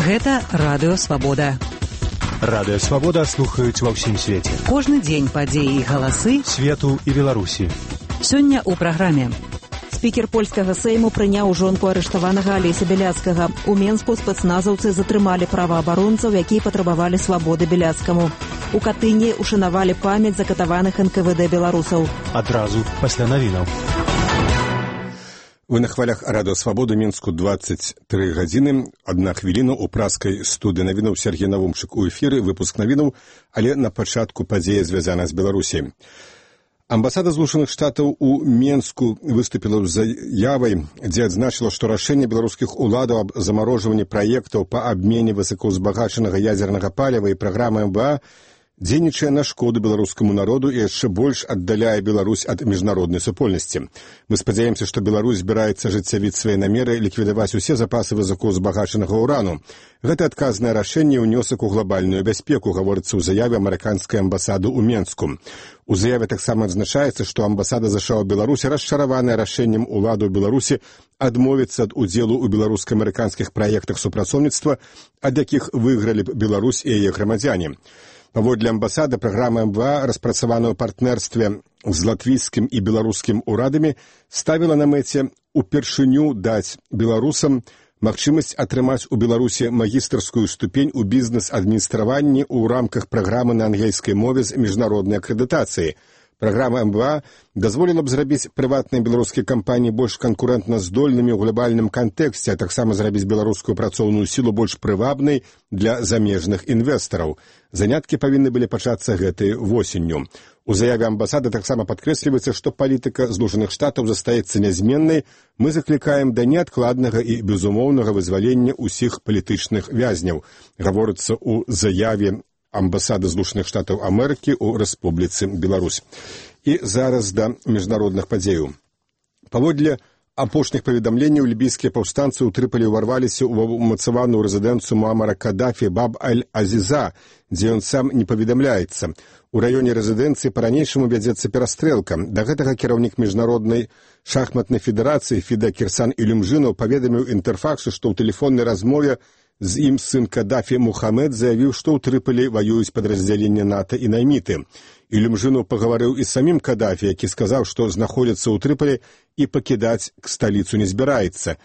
Гэта Радыё Свабода. Радыё Свабода слухаюць ва ўсім свеце. Кожны дзень падзеі і галасы свету і Беларусі. Сёння ў праграме. Спікер польскага сейму прыняў жонку арыштаванага Алеся Бяляцкага. У Менску спецназаўцы затрымалі праваабаронцаў, якія патрабавалі свабоды Бяляцкаму. У Катыні ушанавалі памяць закатаваных НКВД беларусаў. Адразу пасля навінаў. Вы на хвалях Радыё Свабоды, Мінску 23 гадзіны, 1 хвіліна ў праскай студыі навінаў Сергей Навумчык у эфіры, выпуск навінаў, але на пачатку падзея звязана з Беларусі. Амбасада Злучаных Штатаў у Менску выступіла з заявай, дзе адзначыла, што рашэнне беларускіх уладаў аб замарожванні праектаў па абмене высокаўзбагачанага ядзернага паліва і праграмы МВА дзейнічае на шкоду беларускаму народу і яшчэ больш аддаляе Беларусь ад міжнароднай супольнасці. Мы спадзяемся, што Беларусь збіраецца ажыццявіць свае намеры ліквідаваць усе запасы высокаўзбагачанага ўрану. Гэта адказнае рашэнне ўнёсак у глобальную бяспеку, гаворыцца ў заяве амерыканскай амбасады ў Менску. У заяве таксама адзначаецца, што амбасада ЗША ў Беларусі расчараваная рашэннем улады ў Беларусі адмовіцца ад удзелу ў беларуска-амерыканскіх праектах супрацоўніцтва, ад якіх выйгралі б Беларусь і яе грамадзяне. Паводле амбасады, праграма МВА, распрацаваная ў партнерстве з латвійскім і беларускім урадамі, ставіла на мэце упершыню даць беларусам магчымасць атрымаць у Беларусі магістарскую ступень у бізнес-адміністраванні ў рамках праграмы на ангельскай мове з міжнароднай акрэдытацыі. Праграма МВА дазволіла б зрабіць прыватныя беларускія кампаніі больш канкурэнтна здольнымі ў глобальным кантэксце, а таксама зрабіць беларускую працоўную сілу больш прывабнай для замежных інвестараў. Заняткі павінны былі пачацца гэтай восенню. У заяве амбасады таксама падкрэсліваецца, што палітыка Злучаных Штатаў застаецца нязменнай. Мы заклікаем да неадкладнага і безумоўнага вызвалення ўсіх палітычных вязняў, гаворыцца ў заяве амбасады Злучаных Штатаў Амерыкі ў Рэспубліцы Беларусь. І зараз да міжнародных падзеяў. Паводле апошніх паведамленняў, лібійскія паўстанцы ў Трыполі ўварваліся ў умацаваную рэзідэнцыю Муамара Кадафі Баб-аль-Азіза, дзе ён сам не паведамляецца. У раёне рэзідэнцыі па-ранейшаму вядзецца перастрэлка. Да гэтага кіраўнік міжнароднай шахматнай федэрацыі Фіда Кірсан Ілюмжынаў паведаміў Інтэрфаксу, што ў тэлефоннай размове з ім сын Кадафі Мухамед заявіў, што ў Трыполі ваююць падраздзяленне НАТО і найміты. Ілюмжынаў пагаварыў і з самім Кадафі, які сказаў, што знаходзіцца ў Трыполі і пакідаць сталіцу не збіраецца.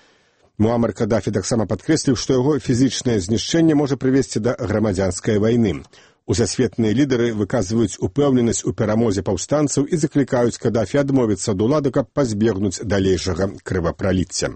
Муамар Кадафі таксама падкрэсліў, што яго фізічнае знішчэнне можа прывесці да грамадзянскай вайны. Усасветныя лідары выказваюць упэўненасць у перамозе паўстанцаў і заклікаюць Кадафі адмовіцца ад улады, каб пазбегнуць далейшага крывапраліцця.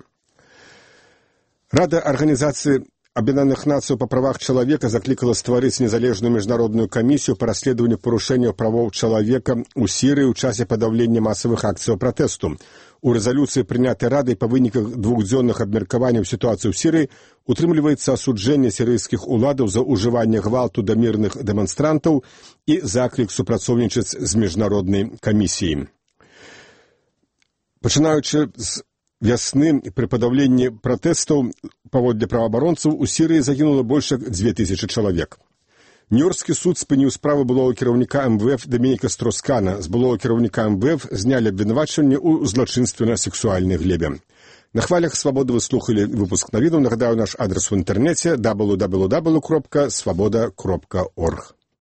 Рада арганізацыі Аб'яднаных Нацый па правах чалавека заклікала стварыць незалежную міжнародную камісію па расследаванню парушэнняў правоў чалавека ў Сірыі ў часе падаўлення масавых акцыяў пратэсту. У рэзалюцыі, прынятай Радай па выніках двухдзённых абмеркаванняў сітуацыі ў Сірыі, утрымліваецца асуджэнне сірыйскіх уладаў за ўжыванне гвалту да мірных дэманстрантаў і заклік супрацоўнічаць з міжнароднай камісіяй. Пачынаючы з вясны, пры падаўленні пратэстаў паводле праваабаронцаў у Сірыі загінула больш як 2000 чалавек. Нью-Йоркскі суд спыніў справу былога кіраўніка МВФ Дамініка Строскана. З былога кіраўніка МВФ знялі абвінавачванне ў злачынстве на сексуальнай глебе. На хвалях Свабоды вы слухалі выпуск навінаў. Нагадаю, наш адрес у інтэрнэце www.swaboda.org.